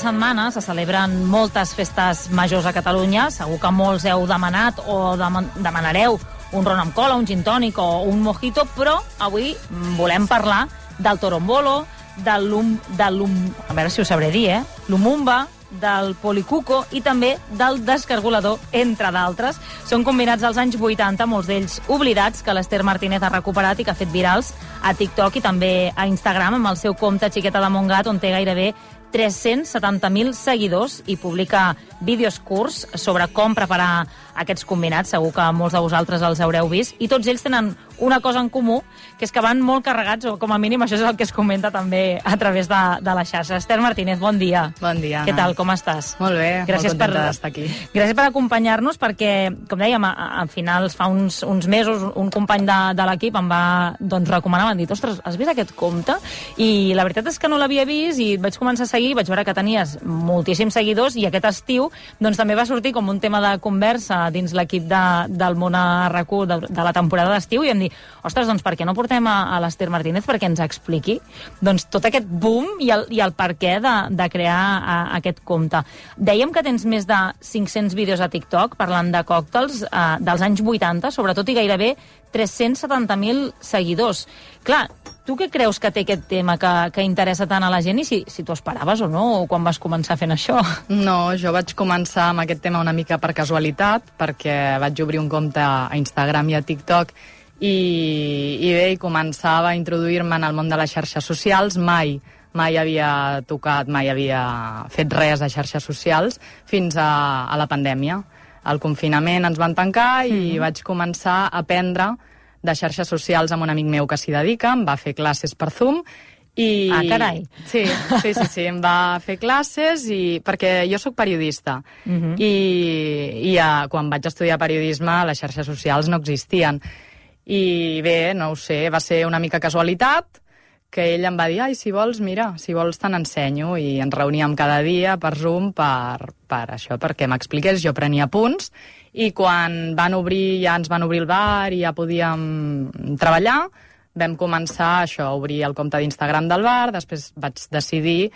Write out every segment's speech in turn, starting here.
setmana se celebren moltes festes majors a Catalunya. Segur que molts heu demanat o demanareu un ron amb cola, un gin tònic o un mojito, però avui volem parlar del torombolo, a veure si ho sabré dir, l'umumba, del policuco i també del descargolador, entre d'altres. Són combinats als anys 80, molts d'ells oblidats, que l'Ester Martínez ha recuperat i que ha fet virals a TikTok i també a Instagram amb el seu compte Xiqueta de Montgat, on té gairebé 370.000 seguidors i publica vídeos curts sobre com preparar aquests combinats. Segur que molts de vosaltres els haureu vist. I tots ells tenen una cosa en comú, que és que van molt carregats, o com a mínim això és el que es comenta també a través de la xarxa. Ester Martínez, bon dia. Bon dia, Què tal, com estàs? Molt bé, gràcies, molt contenta d'estar aquí. Gràcies per acompanyar-nos, perquè, com dèiem, a finals, fa uns mesos, un company de l'equip em va recomanar, m'han dit, ostres, has vist aquest compte? I la veritat és que no l'havia vist i vaig començar a seguir, vaig veure que tenies moltíssims seguidors i aquest estiu també va sortir com un tema de conversa dins l'equip del Món a RAC1 de la temporada d'estiu i em dir, ostres, per què no portem a l'Ester Martínez perquè ens expliqui tot aquest boom i el per què de crear aquest compte. Dèiem que tens més de 500 vídeos a TikTok parlant de còctels dels anys 80, sobretot, i gairebé 370.000 seguidors. Clar, tu què creus que té aquest tema que interessa tant a la gent i si t'ho esperaves o no, quan vas començar fent això? No, jo vaig començar amb aquest tema una mica per casualitat, perquè vaig obrir un compte a Instagram i a TikTok i bé, començava a introduir-me en el món de les xarxes socials. Mai havia tocat, mai havia fet res a xarxes socials fins a la pandèmia. Al confinament ens van tancar i vaig començar a aprendre de xarxes socials amb un amic meu que s'hi dedica, em va fer classes per Zoom i... Ah, carai! Sí, em va fer classes perquè jo sóc periodista i quan vaig estudiar periodisme les xarxes socials no existien i bé, no ho sé, va ser una mica casualitat que ell em va dir, si vols te n'ensenyo, i ens reuníem cada dia per Zoom per això, perquè m'expliqués, jo prenia punts, i quan ens van obrir el bar i ja podíem treballar, vam començar això, a obrir el compte d'Instagram del bar, després vaig decidir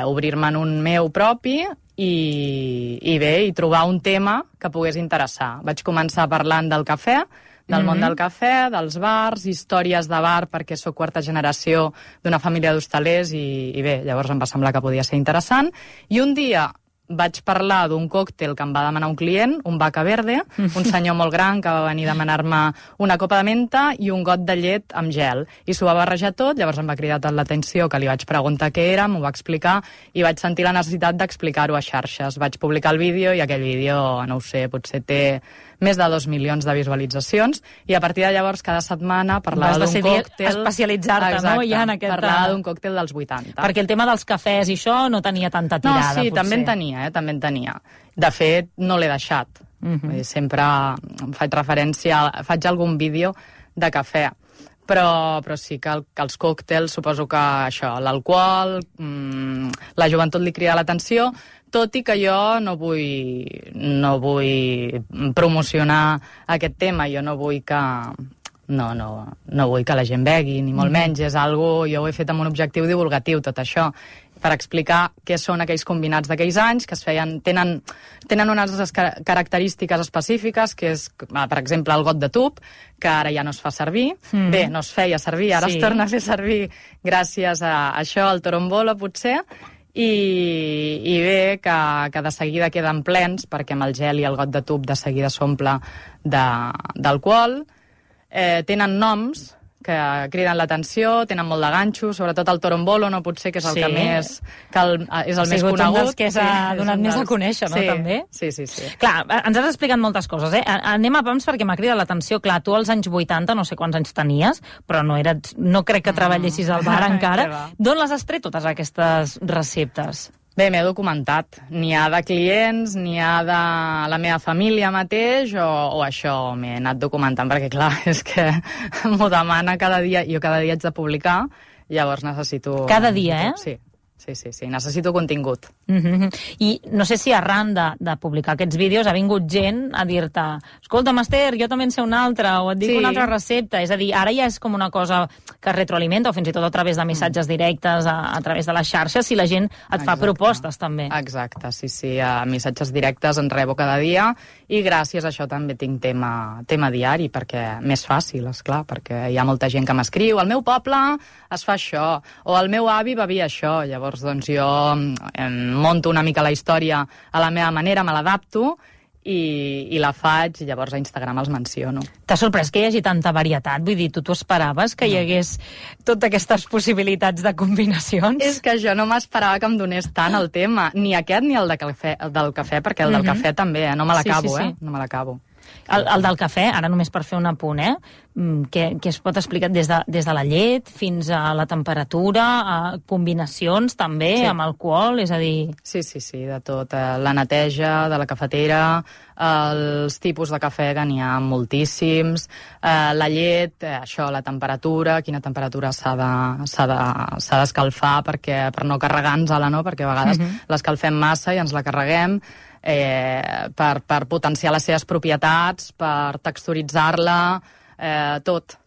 obrir-me en un meu propi i trobar un tema que pogués interessar. Vaig començar parlant del cafè, del món del cafè, dels bars, històries de bar, perquè sóc quarta generació d'una família d'hostalers i bé, llavors em va semblar que podia ser interessant. I un dia vaig parlar d'un còctel que em va demanar un client, un Vaca Verde, un senyor molt gran que va venir a demanar-me una copa de menta i un got de llet amb gel. I s'ho va barrejar tot, llavors em va cridar tant l'atenció que li vaig preguntar què era, m'ho va explicar i vaig sentir la necessitat d'explicar-ho a xarxes. Vaig publicar el vídeo i aquell vídeo, no ho sé, potser té més de 2 milions de visualitzacions i a partir de llavors cada setmana parlava d'un còctel... especialitzar-te, exacte, no? Ja en aquest... parlava d'un còctel dels 80. Perquè el tema dels cafès i això no tenia tanta tirada, potser. No, sí, també en tenia. De fet, no l'he deixat. Sempre faig referència, faig algun vídeo de cafè. Però sí que els còctels, suposo que això, l'alcohol, la joventut li crida l'atenció, tot i que jo no vull promocionar aquest tema, jo no vull que... No vull que la gent begui, ni molt menys, és algo, jo ho he fet amb un objectiu divulgatiu, tot això, per explicar què són aquells combinats d'aquells anys, que es feien, tenen unes característiques específiques, que és, per exemple, el got de tub, que ara ja no es fa servir. Bé, no es feia servir, ara es torna a fer servir gràcies a això, al torombolo, potser, i bé, que de seguida queden plens, perquè amb el gel i el got de tub de seguida s'omple d'alcohol. Tenen noms que criden l'atenció, tenen molt de ganxo, sobretot el torombolo, no pot ser, que és el que més... és el més conegut. Un dels que s'ha donat més a conèixer, no, també? Sí. Clar, ens has explicat moltes coses, Anem a pams perquè m'ha cridat l'atenció. Clar, tu als anys 80, no sé quants anys tenies, però no crec que treballessis al bar encara. D'on les has tret totes aquestes receptes? Bé, m'he documentat. N'hi ha de clients, n'hi ha de la meva família mateix, o això, m'he anat documentant, perquè clar, és que m'ho demana cada dia, jo cada dia haig de publicar, llavors necessito... Cada dia, Sí. Sí, necessito contingut. I no sé si arran de publicar aquests vídeos ha vingut gent a dir-te escolta, Esther, jo també en sé una altra, o et dic una altra recepta. És a dir, ara ja és com una cosa que es retroalimenta, o fins i tot a través de missatges directes, a través de les xarxes, si la gent et fa propostes, també. Exacte, sí. Missatges directes en rebo cada dia, i gràcies a això també tinc tema diari, perquè més fàcil, esclar, perquè hi ha molta gent que m'escriu, al meu poble es fa això, o el meu avi bevia això. Llavors, doncs, jo monto una mica la història a la meva manera, me l'adapto i la faig, i llavors a Instagram els menciono. T'ha sorprès que hi hagi tanta varietat? Vull dir, tu t'ho esperaves, que hi hagués totes aquestes possibilitats de combinacions? És que jo no m'esperava que em donés tant el tema, ni aquest ni el del cafè, perquè el del cafè també, no me l'acabo, no me l'acabo. El del cafè, ara només per fer un apunt, que es pot explicar des de la llet fins a la temperatura, a combinacions també, amb alcohol, és a dir... Sí, de tot. La neteja de la cafetera, els tipus de cafè, que n'hi ha moltíssims, la llet, això, la temperatura, quina temperatura s'ha d'escalfar per no carregar-nos-la, no? Perquè a vegades l'escalfem massa i ens la carreguem, per potenciar les seves propietats, per texturitzar-la, tot.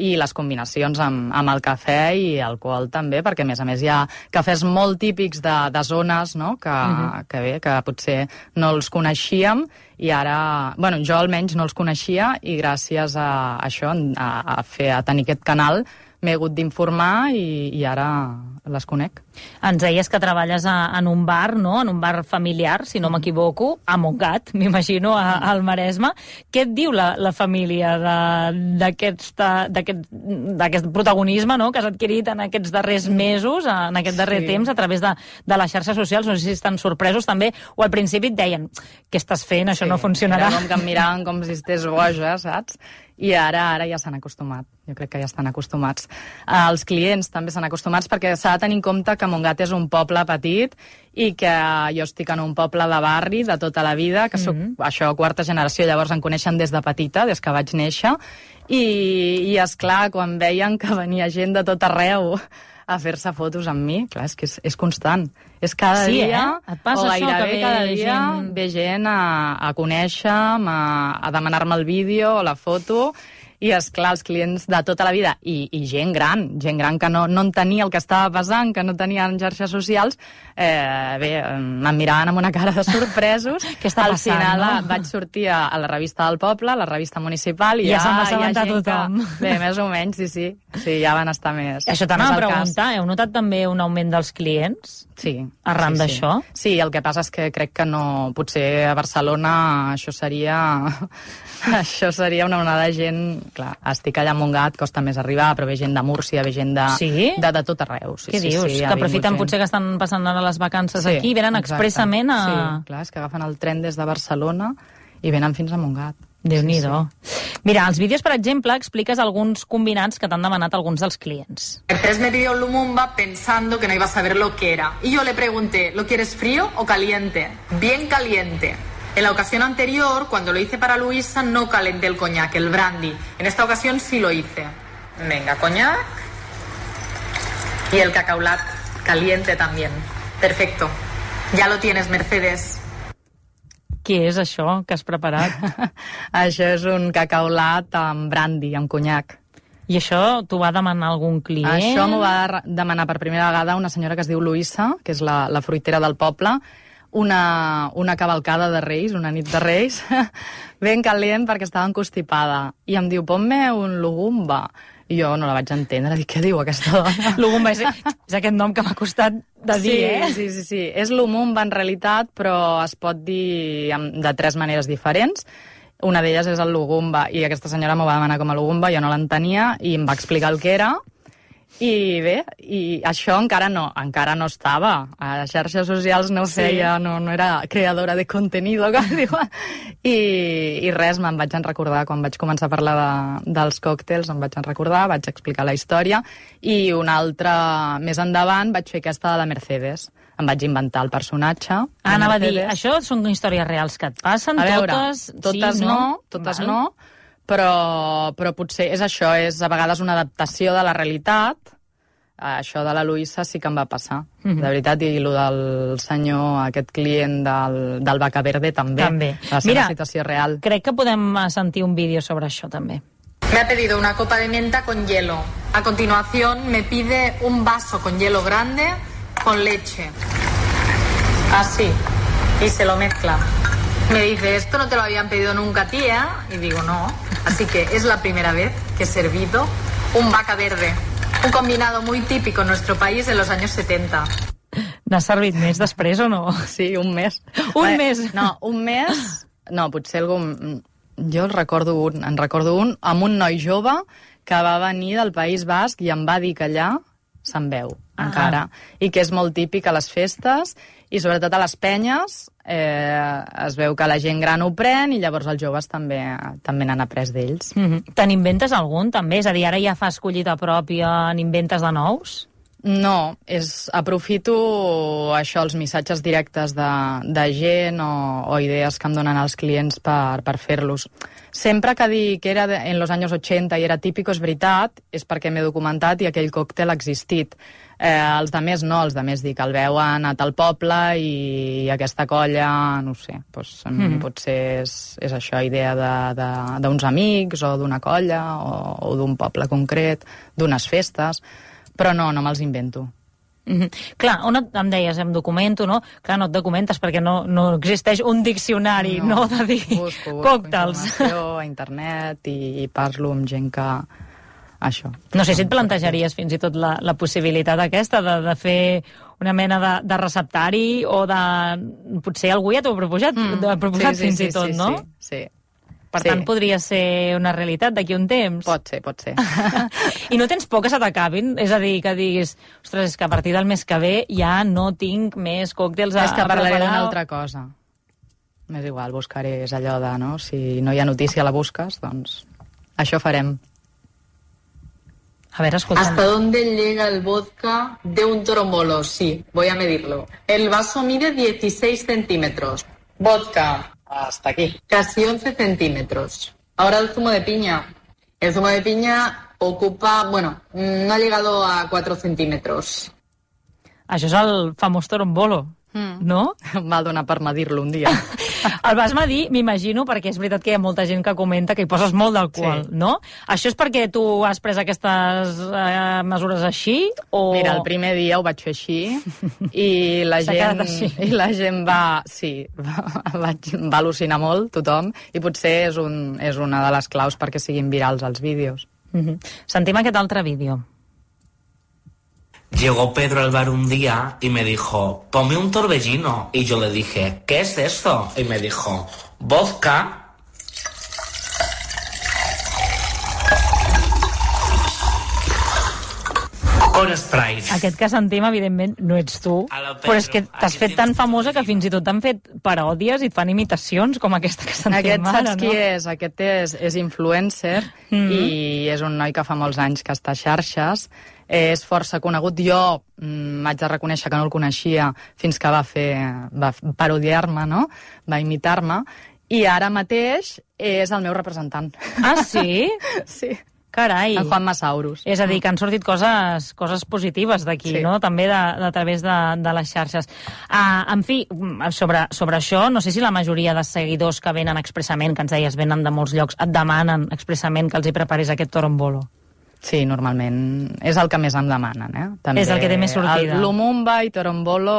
I les combinacions amb el cafè i alcohol també, perquè a més hi ha cafès molt típics de zones, no? que potser no els coneixíem, i ara, bueno, jo almenys no els coneixia, i gràcies a això, a tenir aquest canal, m'he hagut d'informar i ara les conec. Ens deies que treballes en un bar, no? En un bar familiar, si no m'equivoco, a Montgat, m'imagino, al Maresme. Què et diu la família d'aquest protagonisme, no?, que has adquirit en aquests darrers mesos, en aquest darrer temps, a través de les xarxes socials? No sé si estan sorpresos també, o al principi et deien què estàs fent, això no funcionarà. Era com que em miraven com si estigués boja, saps? I ara ja s'han acostumat. Jo crec que ja estan acostumats. Els clients també s'han acostumats, perquè s'ha de tenir en compte que Montgat és un poble petit i que jo estic en un poble de barri de tota la vida, que soc, això, quarta generació, llavors em coneixen des de petita, des que vaig néixer, i esclar, quan veien que venia gent de tot arreu a fer-se fotos amb mi, clar, és que és constant. És cada dia, Et passa o gairebé això, cada dia, ve gent a conèixer-me, a demanar-me el vídeo o la foto, i, esclar, els clients de tota la vida, i gent gran que no entenia el que estava passant, que no tenien xarxes socials, em miraven amb una cara de sorpresos. Què està passant, Al final no? vaig sortir a la revista del poble, a la revista municipal, i ja se'n va assabentar tothom. Bé, més o menys, sí, ja van estar més. Això t'anava a preguntar, heu notat també un augment dels clients? Sí. Arran d'això? Sí, el que passa és que crec que no... Potser a Barcelona això seria una onada de gent... Clar, estic allà a Montgat, costa més arribar, però ve gent de Múrcia, ve gent de tot arreu. Què dius? Que aprofiten potser que estan passant ara les vacances aquí, venen expressament a... Sí, clar, és que agafen el tren des de Barcelona i venen fins a Montgat. Déu-n'hi-do. Mira, als vídeos, per exemple, expliques alguns combinats que t'han demanat alguns dels clients. El 3 me pidió Lumumba pensando que no iba a saber lo que era. Y yo le pregunté, ¿lo quieres frío o caliente? Bien caliente. En la ocasión anterior, cuando lo hice para Luisa, no calenté el coñac, el brandy. En esta ocasión sí lo hice. Venga, coñac. Y el cacaulat caliente también. Perfecto. Ya lo tienes, Mercedes. Què és això que has preparat? Això és un cacaulat amb brandy, amb conyac. I això t'ho va demanar algun client? Això m'ho va demanar per primera vegada una senyora que es diu Luisa, que és la fruitera del poble, una cavalcada de Reis, una nit de Reis, ben calent perquè estava encostipada. I em diu, ponme un lugumba. I jo no la vaig entendre, dic, què diu aquesta dona? Lugumba és aquest nom que m'ha costat de dir, Sí. És lumumba en realitat, però es pot dir de 3 maneres diferents. Una d'elles és el lugumba, i aquesta senyora m'ho va demanar com a lugumba, jo no l'entenia, i em va explicar el que era. I bé, i això encara no estava. A les xarxes socials no feia, no era creadora de contenido, com diuen. I res, me'n vaig recordar, quan vaig començar a parlar dels còctels, vaig explicar la història, i una altra, més endavant, vaig fer aquesta de la Mercedes. Em vaig inventar el personatge. Anava a dir, això són històries reals que et passen? A veure, totes no, però potser és això, és a vegades una adaptació de la realitat, això de la Luisa sí que em va passar, de veritat, i el del senyor, aquest client del Vaca Verde també. Va ser una situació real. Crec que podem sentir un vídeo sobre això també. Me ha pedido una copa de menta con hielo. A continuación me pide un vaso con hielo grande con leche. Así. Y se lo mezcla. Me dice, esto no te lo habían pedido nunca, tía. Y digo, no. Así que es la primera vez que he servido un Vaca Verde. Un combinado muy típico en nuestro país en los años 70. N'has servit més després o no? Sí, un mes. Un mes? No, un mes... No, potser algun... Jo en recordo un amb un noi jove que va venir del País Basc i em va dir que allà se'n veu, encara, i que és molt típic a les festes i sobretot a les penyes es veu que la gent gran ho pren i llavors els joves també n'han après d'ells. Te n'inventes algun, també? És a dir, ara ja fas collita pròpia, n'inventes de nous? No, aprofito això, els missatges directes de gent o idees que em donen els clients per fer-los. Sempre que dic que era en los años 80 i era típico, és veritat, és perquè m'he documentat i aquell còctel ha existit. Els de més no, els de més dic, el veuen a tal poble i aquesta colla, no ho sé, potser és això, idea d'uns amics o d'una colla o d'un poble concret, d'unes festes... Però no me'ls invento. Clar, on em deies, em documento, no? Clar, no et documentes perquè no existeix un diccionari, no de dir busco còctels. Informació a internet i parlo amb gent que... Això. No sé si et plantejaries fins i tot la possibilitat aquesta de fer una mena de receptari o de... Potser algú ja t'ho ha proposat fins i tot, no? Sí. Per tant, podria ser una realitat d'aquí un temps. Pot ser. I no tens por que se t'acabin? És a dir, que diguis, ostres, és que a partir del mes que ve ja no tinc més còctels a preparar. És que parlaré d'una altra cosa. M'és igual, buscaré, és allò de, no? Si no hi ha notícia, la busques, doncs això farem. A ver, escucha. ¿Hasta dónde llega el vodka de un torombolo? Sí, voy a medirlo. El vaso mide 16 centímetros. Vodka. Hasta aquí. Casi 11 centímetros. Ahora el zumo de piña. El zumo de piña ocupa, no ha llegado a 4 centímetros. Això és el famós torombolo, no? Em va donar per medir-lo un dia. El vas medir, m'imagino, perquè és veritat que hi ha molta gent que comenta que hi poses molt d'alcohol, no? Això és perquè tu has pres aquestes mesures així? O... Mira, el primer dia ho vaig fer així i la gent va al·lucinar molt, tothom, i potser és una de les claus perquè siguin virals els vídeos. Sentim aquest altre vídeo. Llegó Pedro al bar un día y me dijo, ponme un torbellino. Y yo le dije, ¿qué es esto? Y me dijo, vodka. Con Sprite. Aquest que sentim, evidentment, no ets tu, però és que t'has fet tan famosa que fins i tot t'han fet paròdies i et fan imitacions com aquesta que sentim ara, no? Saps qui és? Aquest és influencer i és un noi que fa molts anys que està a xarxes. És força conegut. Jo m'haig de reconèixer que no el coneixia fins que va parodiar-me, no? Va imitar-me. I ara mateix és el meu representant. Ah, sí? Sí. Carai. El Juan Masaurus. És a dir, que han sortit coses positives d'aquí, sí. No? També a través de les xarxes. En fi, sobre això, no sé si la majoria de seguidors que venen expressament, que ens deies venen de molts llocs, et demanen expressament que els hi preparis aquest torombolo. Sí, normalment és el que més em demanen, eh? També és el que té més sortida. Lumumba i torombolo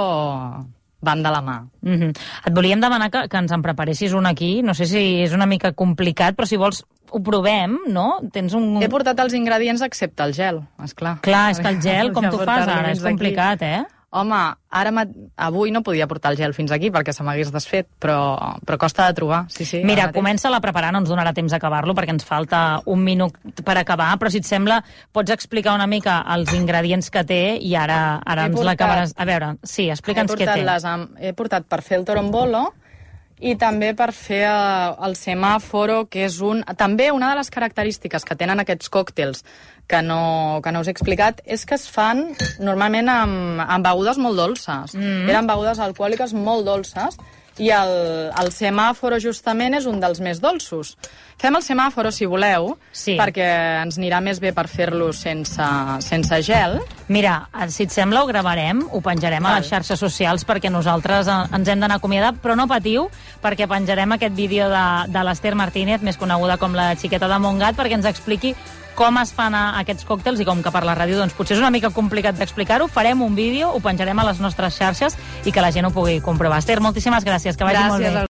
van de la mà. Et volíem demanar que ens en preparessis un aquí. No sé si és una mica complicat, però si vols ho provem, no? He portat els ingredients excepte el gel, esclar. Clar, és que el gel, com tu fas ara? És complicat, eh? Home, avui no podia portar el gel fins aquí perquè se m'hagués desfet, però costa de trobar. Sí, mira, comença-la a preparar, no ens donarà temps d'acabar-lo perquè ens falta un minut per acabar, però si et sembla pots explicar una mica els ingredients que té i ara ens l'acabaràs. A veure, sí, explica'ns què té. He portat per fer el torombolo i també per fer el semàforo, que és també una de les característiques que tenen aquests còctels que no us he explicat, és que es fan normalment amb begudes molt dolces. Eren begudes alcohòliques molt dolces i el semàforo justament és un dels més dolços. Fem el semàforo, si voleu, perquè ens anirà més bé per fer-lo sense gel. Mira, si et sembla, ho gravarem, ho penjarem a les xarxes socials perquè nosaltres ens hem d'anar a acomiadar, però no patiu, perquè penjarem aquest vídeo de l'Ester Martínez, més coneguda com la xiqueta de Montgat, perquè ens expliqui com es fan aquests còctels, i com que per la ràdio doncs, potser és una mica complicat d'explicar-ho, farem un vídeo, ho penjarem a les nostres xarxes i que la gent ho pugui comprovar. Esther, moltíssimes gràcies, que vagi molt bé.